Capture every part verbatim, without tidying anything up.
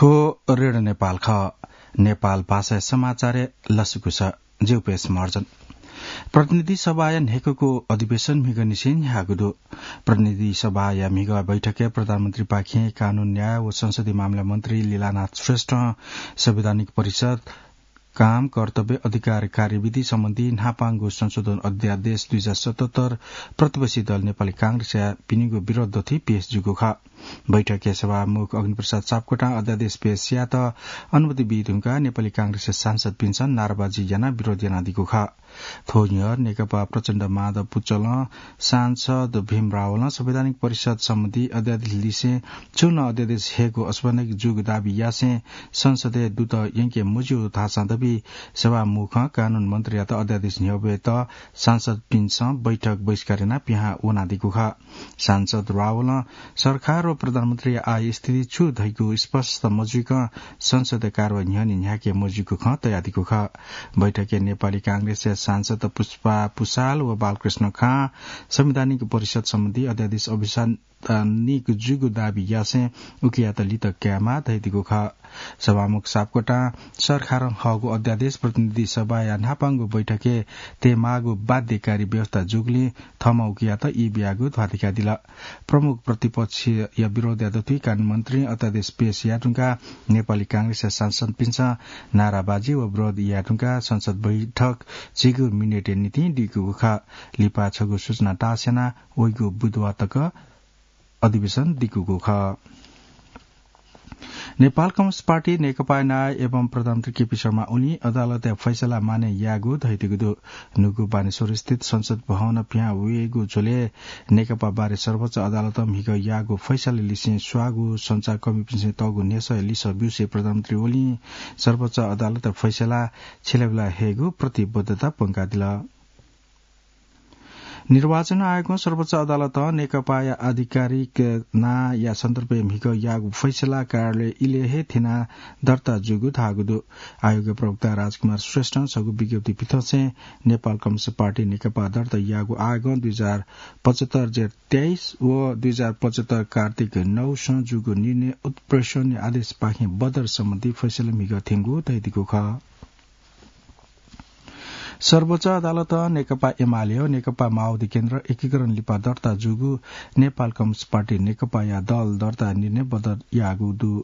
थ्व रेडियो नेपाल खः। नेपाल भाषाया समाचारय् लसकुस। ज्यू पेश महर्जन। प्रतिनिधि सभाया न्हय्कूगु अधिवेशन म्हिगःनिसें न्ह्याःगु दु। प्रतिनिधि सभाया म्हिगः बैठकय् प्रधानमन्त्रीपाखें कानून, न्याय व संसदीय मामिला मन्त्री लीलानाथ श्रेष्ठं संवैधानिक परिषद काम, कर्तव्य, अधिकार, कार्यविधि सम्बन्धी न्हापांगु संशोधन अध्यादेश दुई हजार सतहत्तर प्रतिपक्षी दल नेपाली कांग्रेसया पिनिगु विरोध दथुइ पेश जूगु खः। बैठकय् सभामुख अग्निप्रसाद सापकोटां अध्यादेश पेश यायेत अनुमति बी धुंकाः नेपाली कांग्रेसया सांसदपिन्सं नाराबाजी यानाः विरोध यानादीगु खः। थ्व न्ह्यः नेकपा प्रचण्ड माधव पुचलं सांसद भीम रावलं संवैधानिक परिषद सम्बन्धी अध्यादेश लिसें छुं नं अध्यादेश हयेगु असंवैधानिक जूगु दाबी यासें संसदय् दुत यंके मज्यू धाःसां दबी सभामुखं कानून मन्त्रीयात अध्यादेश न्ह्यब्वयेत सांसदपिन्सं बैठक बहिष्कार यानाः पिहां वनादीगु खः। सांसद रावलं सरकार व प्रधानमन्त्रीया आय स्थिति छु धइगु स्पष्ट मजुइकं संसदया कारवाही न्ह्यःने न्ह्याके मजुइगु खँ तयादीगु खः। बैठकय् नेपाली कांग्रेसया सांसद पुष्पा पुसाल व बालकृष्ण खां संवैधानिक परिषद सम्बन्धी अध्यादेश अभिसंवैधानिक जूगु दाबी यासें उकियात लित कायेमाः धयादीगु खः। सभामुख सापकोटां सरकारं हःगु अध्यादेश प्रतिनिधि सभाया न्हापांगु बैठकय् तयेमाःगु बाध्यकारी व्यवस्था जूगुलिं थःम्हं उकियात ई बियागु ध्वाथुइकादिल। प्रमुख प्रतिपक्षया विरोधया दथुइ कानून मन्त्रीं अध्यादेश पेश याये धुंकाः नेपाली कांग्रेसया सांसदपिन्सं नाराबाजी व विरोध याये धुंकाः संसद बैठक झिगू मिनेटया निंतिं दीकूगु खः। लिपा छगू सूचना टास यानाः वइगु बुधबार तक अधिवेशन दीकूगु खः। नेपाल कम्युनिस्ट पार्टी नेकपाया नायः एवं प्रधानमन्त्री केपी शर्मा ओलीं अदालतया फैसला मानय् याःगु धयादीगु दु। न्हूगु बानेश्वर स्थित संसद भवन पिहां वयेगु झ्वलय् नेकपा बारे सर्वोच्च अदालतं म्हिगः याःगु फैसला लिसें स्वाःगु सञ्चारकर्मीपिन्सं तःगु न्ह्यसःया लिसः ब्यूसें प्रधानमन्त्री ओलीं सर्वोच्च अदालतया फैसला छ्यलाबिला हयेगु प्रतिबद्धता प्वंकादिल। निर्वाचन आयोगं सर्वोच्च अदालतं नेकपाया आधिकारिक नांया सन्दर्भय् म्हिगः याःगु फैसला कार्यालय इलय् हे थ्यनाः दर्ता जूगु धाःगु दु। आयोगया प्रवक्ता राजकुमार श्रेष्ठं छगू विज्ञप्ति पिथंसें नेपाल कम्युनिस्ट पार्टी नेकपा दर्ता याःगु आयोगं दुई हजार पचहत्तर जेठ तेइस व दुई हजार पचहत्तर कार्तिक नौसं जूगु निर्णय उत्प्रेषणया आदेशपाखें बदर सम्बन्धी फैसला म्हिगः थ्यंगु धयादीगु खः। सर्वोच्च अदालतं नेकपा एमाले व नेकपा माओवादी केन्द्र एकीकरण लिपा दर्ता जूगु नेपाल कम्युनिस्ट पार्टी नेकपाया दल दर्ता निर्णय बदर याःगु दु।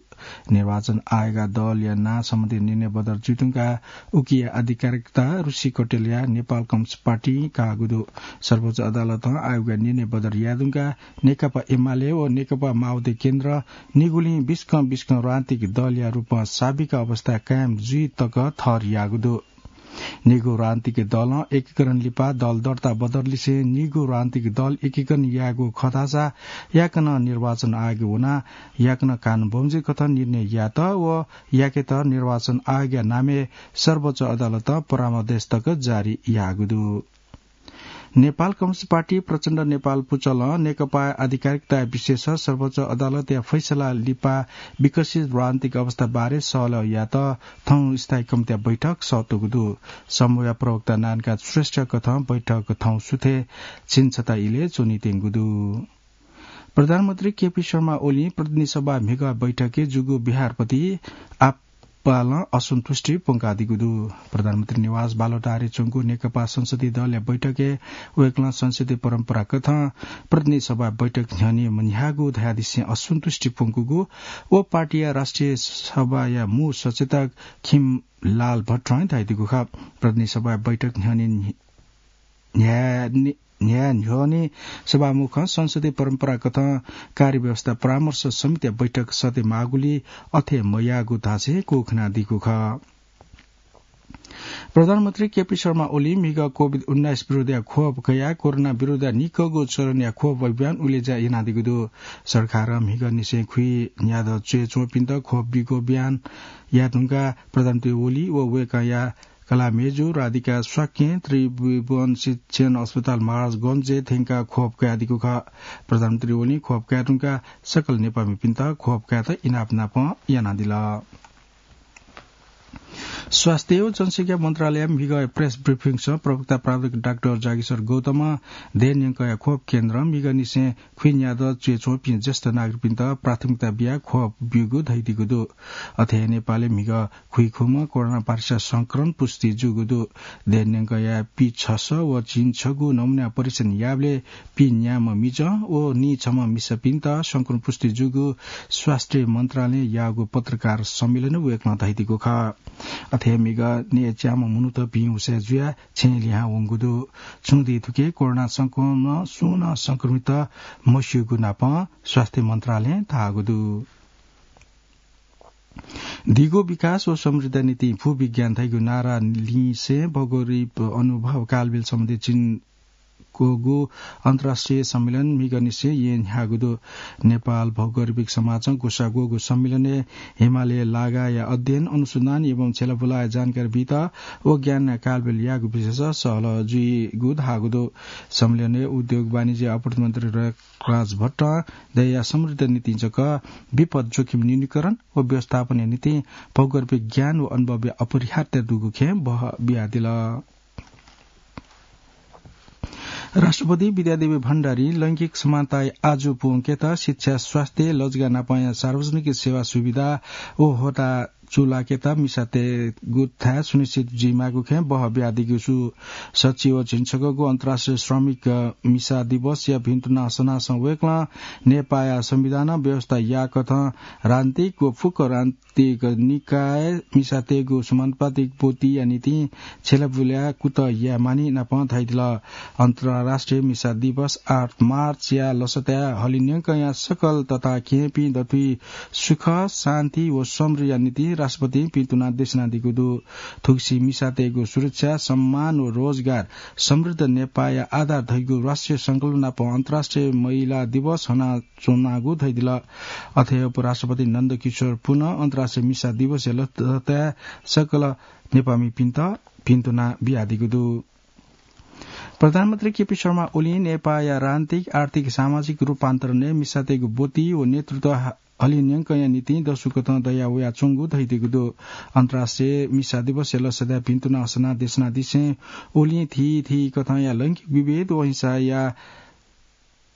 निर्वाचन आयोगया दलया नां सम्बन्धी निर्णय बदर जुइधुंकाः उकिया आधिकारिकता ऋषि कटेलया नेपाल कम्युनिस्ट पार्टीं काःगु दु। सर्वोच्च अदालतं आयोगया निर्णय बदर यायेधुंकाः नेकपा एमाले व नेकपा माओवादी केन्द्र निगुलिं बिस्कं बिस्कं राजनीतिक दलया रूपं साबिक अवस्था कायम जुइ तक ठहर याःगु दु। निगू राजनीतिक दलं एकीकरण लिपा दल दर्ता बदर लिसें निगू राजनीतिक दल एकीकरण यायेगु खः धाःसा याकनं निर्वाचन आयोगय् वनाः याकनं कानून बमोजिम कथं निर्णय यायेत व याकेत निर्वाचन आयोगया नामय् सर्वोच्च अदालतं परामर्श तक जारी याःगु दु। नेपाल कम्युनिस्ट पार्टी प्रचण्ड नेपाल पुचलं नेकपाया आधिकारिकताया विषयय् सर्वोच्च अदालतया फैसला लिपा विकसित राजनीतिक अवस्था बारे सहलह यायेत थौं स्थायी कमिटीया बैठक सःतूगु दु। समूहया प्रवक्ता नारायणकान्त श्रेष्ठ कथं बैठक थौं सुथय् छिन्छता इलय् च्वनीत्यंगु दु। प्रधानमन्त्री केपी शर्मा ओलीं प्रतिनिधि सभा म्हिगः बैठकय् जूगु व्यवहारप्रति आपालं असन्तुष्टि प्वंकादीगु दु। प्रधानमन्त्री निवास बालुवाटारय् च्वंगु नेकपा संसदीय दलया बैठकय् वय्कलं संसदीय परम्परा कथं प्रतिनिधि सभा बैठक न्ह्यःने मन्ह्याःगु धयादिसें असन्तुष्टि प्वंकूगु व पार्टीया राष्ट्रिय सभाया मू सचेतक खिमलाल भट्टरं धयादीगु खः। प्रतिनिधि सभा बैठक न्ह्यःने न्ह्याने न्ह्याये न्ह्यःने सभामुखं संसदीय परम्परा कथं कार्यव्यवस्था परामर्श समितिया बैठक सःते माःगुलिं अथे मयाःगु धासें क्वखानादीगु खः। प्रधानमन्त्री केपी शर्मा ओलीं म्हिगः कोभिड उन्नाइस विरुद्धया खोप कयाः कोरोना विरुद्ध निक्वःगु चरणया खोप अभियान उलेज्या यानादीगु दु। सरकारं म्हिगःनिसें खुइन्यादँ च्वय् च्वंपिन्त खोप बीगु अभियान याये धुंकाः प्रधानमन्त्री ओली व वय्कःया कलाः मय्जु राधिका शाक्यं त्रिभुवन शिक्षण अस्पताल महाराजगंजय् थ्यंकाः खोप कयादीगु खः। प्रधानमन्त्री ओलीं खोप कये धुंकाः सकल नेपाःमिपिन्त खोप कयेत इनाप नापं यानादिल। स्वास्थ्य व जनसंख्या मन्त्रालय म्हिगः प्रेस ब्रिफिङसं प्रवक्ता प्राध्यापक डाक्टर जागेश्वर गौतमं देय् न्यंकया खोप केन्द्रं म्हिगःनिसें खुइन्यादँ च्वय् च्वंपिं ज्येष्ठ नागरिकपिन्त प्राथमिकता बियाः खोप ब्यूगु धयादीगु दु। अथे हे नेपालय् म्हिगः खुइखुम्ह कोरोना भाइरस संक्रमण पुष्टि जूगु दु। देय् न्यंकया पीछसः व झिंछगू नमुना परीक्षण याःबलय् पीन्याम्ह मिजं व नीछम्ह मिसापिन्त संक्रमण पुष्टि जूगु स्वास्थ्य मन्त्रालयं याःगु पत्रकार सम्मेलनय् वय्कलं धयादीगु खः। अथे हे म्हिगः नयेच्याम्ह मनूत भिं हुसय् जुयाः छेँय् लिहां वंगु दु। छुं दिं थुकी कोरोना संक्रमणं सुं नं संक्रमित मस्यूगु नापं स्वास्थ्य मन्त्रालयं धाःगु दु। दिगो विकास व समृद्ध निंतिं भूविज्ञान धइगु नारा लिसें भौगोलिक अनुभव कालबेल सम्बन्धी चिन्कूगु अन्तर्राष्ट्रिय सम्मेलन म्हिगःनिसें येँ न्ह्याःगु दु। नेपाल भौगोलिक समाजं ग्वसाः ग्वःगु सम्मेलनय् हिमालय लागाया अध्ययन, अनुसन्धान एवं छ्यलाबुलाया जानकारी बीत व ज्ञान कालबेल याःगु विषयय् सहलह जुइगु धाःगु दु। सम्मेलनय् उद्योग वाणिज्य आपूर्ति मन्त्री रघुराज भट्टं दयाः समृद्ध निंतिं जक विपद जोखिम न्यूनीकरण व व्यवस्थापनया निंतिं भौगोलिक ज्ञान व अनुभवया अपरिहार्यता दुगु खँय् बहः बियादिल। राष्ट्रपति विद्यादेवी भण्डारीं लैंगिक समानताय् आजु पूवंकेत शिक्षा, स्वास्थ्य, लजगाः नापंया सार्वजनिक सेवा सुविधा व होदा चूलाकेत मिसातय्गु थाय् सुनिश्चित जुइमाःगु खँय् बहः बियादीगु सु। सच्छि व झिंछगःगु अन्तर्राष्ट्रिय श्रमिक मिसा दिवसया भिन्तुना सनासं वय्कलं नेपाःया संविधानं व्यवस्था याःकथं राजनीतिक व फुक्क राजनीतिक निकाय मिसातय्गु समानुपातिक ब्वतिया निंतिं छ्यलाबुलाया कुतः यायेमानि नापं धयादिल। अन्तर्राष्ट्रिय मिसा दिवस आठ मार्चया लसताय् हलिंन्यंकया सकल तताकेहेँपिं दथुइ सुख, शान्ति व समृद्धिया निंतिं राष्ट्रपतिं भिन्तुना देछानादीगु दु। थुगुसी मिसातय्गु सुरक्षा, सम्मान व रोजगार समृद्ध नेपाःया आधार धइगु राष्ट्रिय संकल्प नापं अन्तर्राष्ट्रिय महिला दिवस हना च्वनागु धयादिल। अथे हे उपराष्ट्रपति नन्दकिशोर पुनं अन्तर्राष्ट्रिय मिसा दिवसया लसताय् सकल नेपाःमिपिन्त भिन्तुना बियादीगु दु। प्रधानमन्त्री केपी शर्मा ओलीं नेपाःया राजनीतिक, आर्थिक, सामाजिक रूपान्तरणय् मिसातय्गु ब्वति व नेतृत्व ह-, हलिंन्यंकया निंतिं दसुकथं दया वयाच्वंगु धयादीगु दु। अन्तर्राष्ट्रिय मिसा दिवसया लसताय् भिन्तुना सनाः देछानादिसें ओलीं थीथी कथंया लैंगिक विभेद व हिंसाया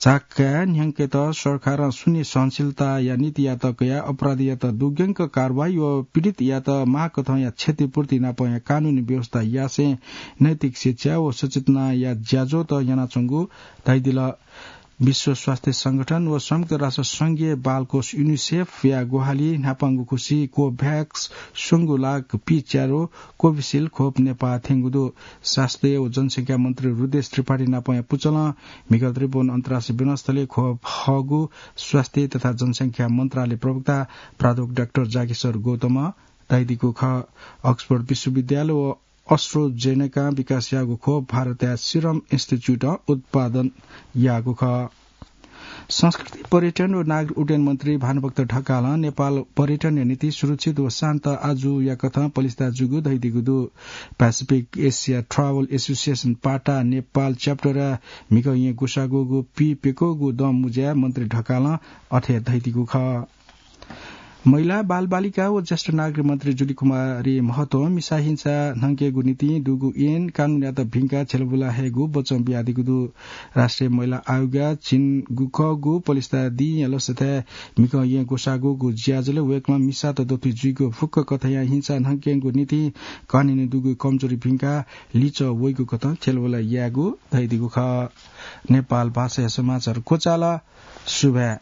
झाकाय् न्ह्यंकेत सरकारं शून्य सहनशीलताया नीतियात कयाः अपराधीयात दुग्यंक कारवाही व पीडितयात माःकथंया क्षतिपूर्ति नापंया कानूनी व्यवस्था यासें नैतिक शिक्षा व सचेतनाया ज्याझ्वःत यानाच्वंगु धयादिल। विश्व स्वास्थ्य संगठन व संयुक्त राष्ट्र संघीय बालकोष युनिसेफया ग्वाहालिं न्हापांगु खुसि कोभ्याक्स स्वंगू लाख पीच्यारो कोभिसिल्ड खोप नेपाः थ्यंगु दु। स्वास्थ्य व जनसंख्या मन्त्री रुदेश त्रिपाठी नापंया पुचलं म्हिगः त्रिभुवन अन्तर्राष्ट्रिय विमानस्थलय् खोप हःगु स्वास्थ्य तथा जनसंख्या मन्त्रालय प्रवक्ता प्राध्यापक डाक्टर जागेश्वर गौतमं धयादीगु खः। अक्सफोर्ड विश्वविद्यालय व AstraZeneca विकास याःगु खोप भारतया सिरम इन्स्टिच्युटं उत्पादन याःगु खः। संस्कृति, पर्यटन व नागरिक उड्डयन मन्त्री भानुभक्त ढकालं नेपाल पर्यटनया निंतिं सुरक्षित व शान्त आजुया कथं पलिस्था जूगु धयादीगु दु। Pacific Asia Travel Association, पाटा, नेपाल च्याप्टरया म्हिगः येँ ग्वसाः ग्वःगु पीप्यक्वःगु दँ मुँज्याय् मन्त्री ढकालं अथे धयादीगु खः। महिला, बालबालिका व ज्येष्ठ नागरिक मन्त्री जुली कुमारी महतों मिसा हिंसा न्हंकेगु निंतिं दुगु ऐन कानूनयात भिंकाः छ्यलाबुला हयेगु वचं बियादीगु दु। राष्ट्रिय महिला आयोगया झिंगुखःगु पलिस्था दिंया लसताय् म्हिगः येँ ग्वसाः ग्वःगु ज्याझ्वलय् वय्कलं मिसात दथुइ जुइगु फुक्क कथंया हिंसा न्हंकेगु निंतिं कानूनय् दुगु कमजोरी भिंकाः लिच्वः वइगु कथं छ्यलाबुला यायेगु धयादीगु खः। नेपाल भाषाया समाचार क्वचाल। सुभाय्।